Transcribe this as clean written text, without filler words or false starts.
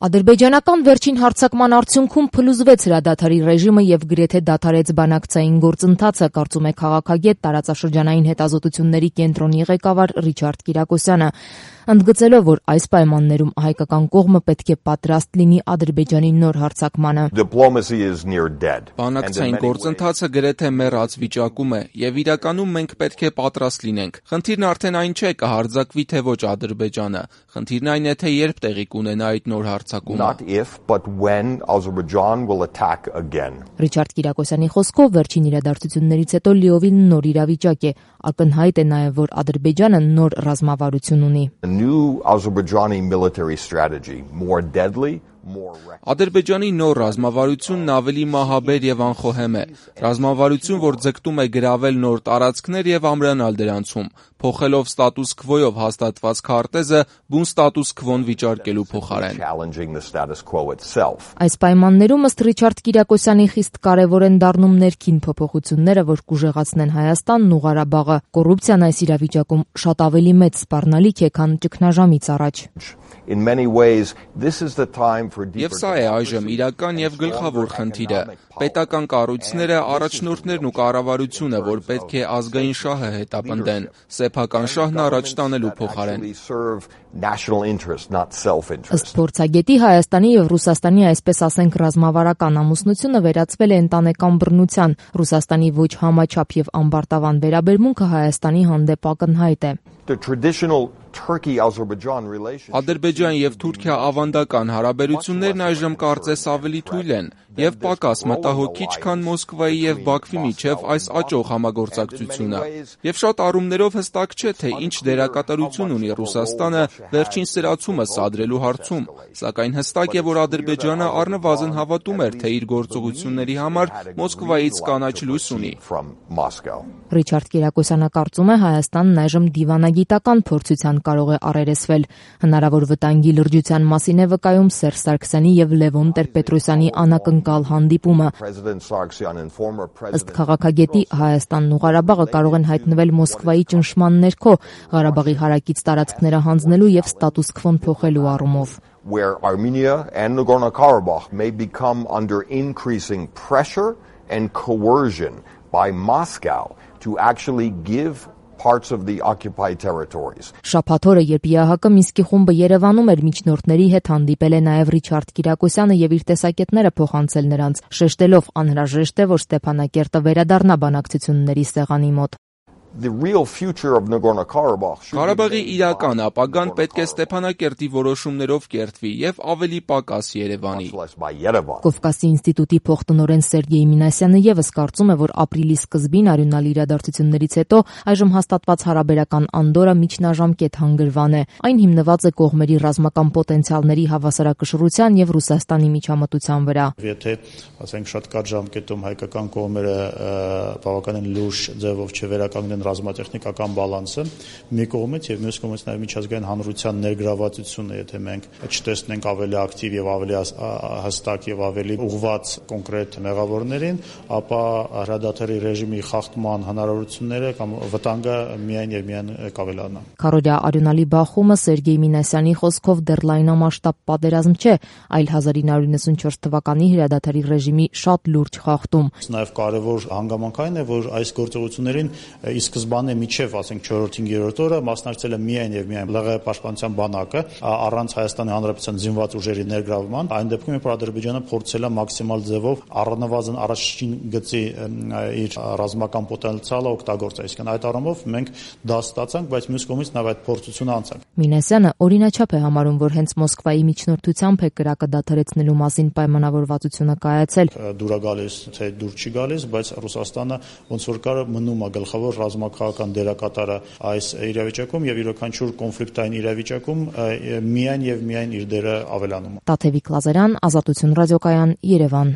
Ադրբեջանական վերջին հարձակման արդյունքում փլուզվեց հրադադարի ռեժիմը եւ գրեթե դադարեց բանակցային գործընթացը, կարծում է քաղաքագետ, տարածաշրջանային հետազոտությունների կենտրոնի ղեկավար Ռիչարդ Կիրակոսյանը, ընդգծելով, որ այս պայմաններում հայկական կողմը պետք է պատրաստ լինի Ադրբեջանի նոր հարձակմանը։ Բանակցային գործընթացը գրեթե մեռած վիճակում է եւ իրականում մենք պետք է պատրաստ լինենք։ Խնդիրն արդեն այն չէ, կհարձակվի թե ոչ Ադրբեջանը։ Խնդիրն այն է, թե երբ տեղի կունենա այդ նոր հարձակումը։ Ռիչարդ Կիրակոսյանի խոսքով վերջին իրադարձություններից հետո լիովին նոր իրավիճակ է։ Ակնհայտ է նաև, որ Ադրբեջանը նոր ռազմավարություն ունի։ Ադրբեջանի նոր ռազմավարությունն ավելի մահաբեր եւ անխոհեմ է։ Ռազմավարություն, որ ձգտում է գրավել նոր տարածքներ եւ ամրանալ դրանցում, փոխելով ստատուս քվոյով հաստատված քարտեզը բուն ստատուս քվոն վիճարկելու փոխարեն։ Այս պայմաններում ըստ Ռիչարդ Կիրակոսյանի խիստ կարևոր են դառնում ներքին փոփոխությունները, որ կուժեղացնեն Հայաստանն ու Ղարաբաղը։ Կոռուպցիան այս իրավիճակում շատ ավելի մեծ սպառնալիք է, քան ճգնաժամից առաջ։ Եվ սա է այժմ իրական եւ գլխավոր խնդիրը։ Պետական կառույցները, առաջնորդներն ու կառավարությունը, որ պետք է ազգային շահը հետապնդեն, սեփական շահն առաջ տանելու փոխարեն։ Ըստ փորձագետի, Հայաստանի եւ Ռուսաստանի, այսպես ասենք, ռազմավարական ամուսնությունը վերածվել է ընտանեկան բռնության։ Ռուսաստանի ոչ համաչափ եւ ամբարտավան վերաբերմունքը Հայաստանի հանդեպ ակնհայտ է։ Ադրբեջան եւ Թուրքիա ավանդական հարաբերություններն այժմ կարծես ավելի թույլ են եւ պակաս մտահոգիչ, քան Մոսկվայի եւ Բաքվի միջև այս աճող համագործակցությունը։ Եվ շատ առումներով հստակ չէ, թե ինչ դերակատարություն ունի Ռուսաստանը վերջին սրացումը սադրելու հարցում, սակայն հստակ է, որ Ադրբեջանը առնվազն հավատում էր, թե իր գործողությունների համար Մոսկվայից կանաչ լույս ունի։ Ռիչարդ Կիրակոսյանը կարծում է, Հայաստանն այժմ դիվանագիտական փորձության կարող է առերեսվել։ Հնարավոր վտանգի լրջության մասին է վկայում Սերժ Սարգսյանի եւ Լևոն Տեր-Պետրոսյանի անակնկալ հանդիպումը։ Ըստ քաղաքագետի, Հայաստանն ու Ղարաբաղը կարող են հայտնվել Մոսկվայի ճնշման ներքո, Ղարաբաղի հարակից տարածքները հանձնելու եւ ստատուս քվոն փոխելու առումով։ Where Armenia and Nagorno-Karabakh may become under increasing pressure and coercion by Moscow to actually give parts of the occupied territories. Շաբաթ օրը, երբ ԵԱՀԿ Մինսկի խումբը Երևանում էր, միջնորդների հետ հանդիպել է նաև Ռիչարդ Կիրակոսյանը եւ իր տեսակետները փոխանցել նրանց, շեշտելով անհրաժեշտ է, որ Ստեփանակերտը վերադառնա բանակցությունների սեղանի մոտ։ Ղարաբաղի իրական ապագան պետք է Ստեփանակերտի որոշումներով կերտվի եւ ավելի պակաս Երևանի։ Կովկասի ինստիտուտի փոխտնօրեն Սերգեյ Մինասյանը եւս կարծում է, որ ապրիլի սկզբին արյունալի իրադարձություններից հետո այժմ հաստատված հարաբերական անդորը միջնաժամկետ հանգրվան է։ Այն հիմնված է կողմերի ռազմական պոտենցիալների հավասարակշռության եւ Ռուսաստանի միջամտության վրա։ Եթե, ասենք, շատ կարճ ժամկետում հայկական կողմերը բավականին լուրջ ձևով չվերականգնեն ռազմատեխնիկական բալանսը մի կողմից եւ մյուս կողմից նաեւ միջազգային հանրության ներգրավվածությունը, եթե մենք չտեսնենք ավելի ակտիվ եւ ավելի հստակ եւ ավելի ուղղված կոնկրետ մեղավորներին, ապա հրադադարի ռեժիմի խախտման հնարավորությունները կամ վտանգը միայն եւ միայն կավելանա։ Քարորիա արյունալի բախումը Սերգեյ Մինասյանի խոսքով դեռ լայնամասշտաբ պատերազմ չէ, այլ 1994 թվականի հրադադարի ռեժիմի շատ լուրջ խախտում։ Նաեւ կարեւոր հանգամանքային է, որ այս գործողություններին ի սկզբանե միջև, ասենք 4-5-րդ օրը մասնակցել է միայն եւ միայն ԼՂՀ պաշտպանության բանակը, առանց Հայաստանի Հանրապետության զինված ուժերի ներգրավման։ Այն դեպքում, երբ Ադրբեջանը փորձել է մաքսիմալ ձևով առնվազն առաջին գծի իր ռազմական պոտենցիալը օգտագործել։ Այսինքն այդ առումով մենք դա ստացանք, բայց մյուս կողմից նաեւ այդ փորձությունը անցանք։ Մինասյանը օրինաչափ է համարում, որ հենց Մոսկվայի միջնորդությամբ է կրակը դադարեցնելու մասին պայմանավորվածությունը կայացել։ Դուր է գալիս, թե դուր չի գալիս, բայց Ռուսաստանը ոնց որ կար մնում է գլխավոր ռազմաքաղաքական դերակատարը այս իրավիճակում եւ յուրաքանչյուր կոնֆլիկտային իրավիճակում միայն եւ միայն իր դերը ավելանում է։ Տաթևիկ Լազարյան, Ազատություն ռադիոկայան, Երևան։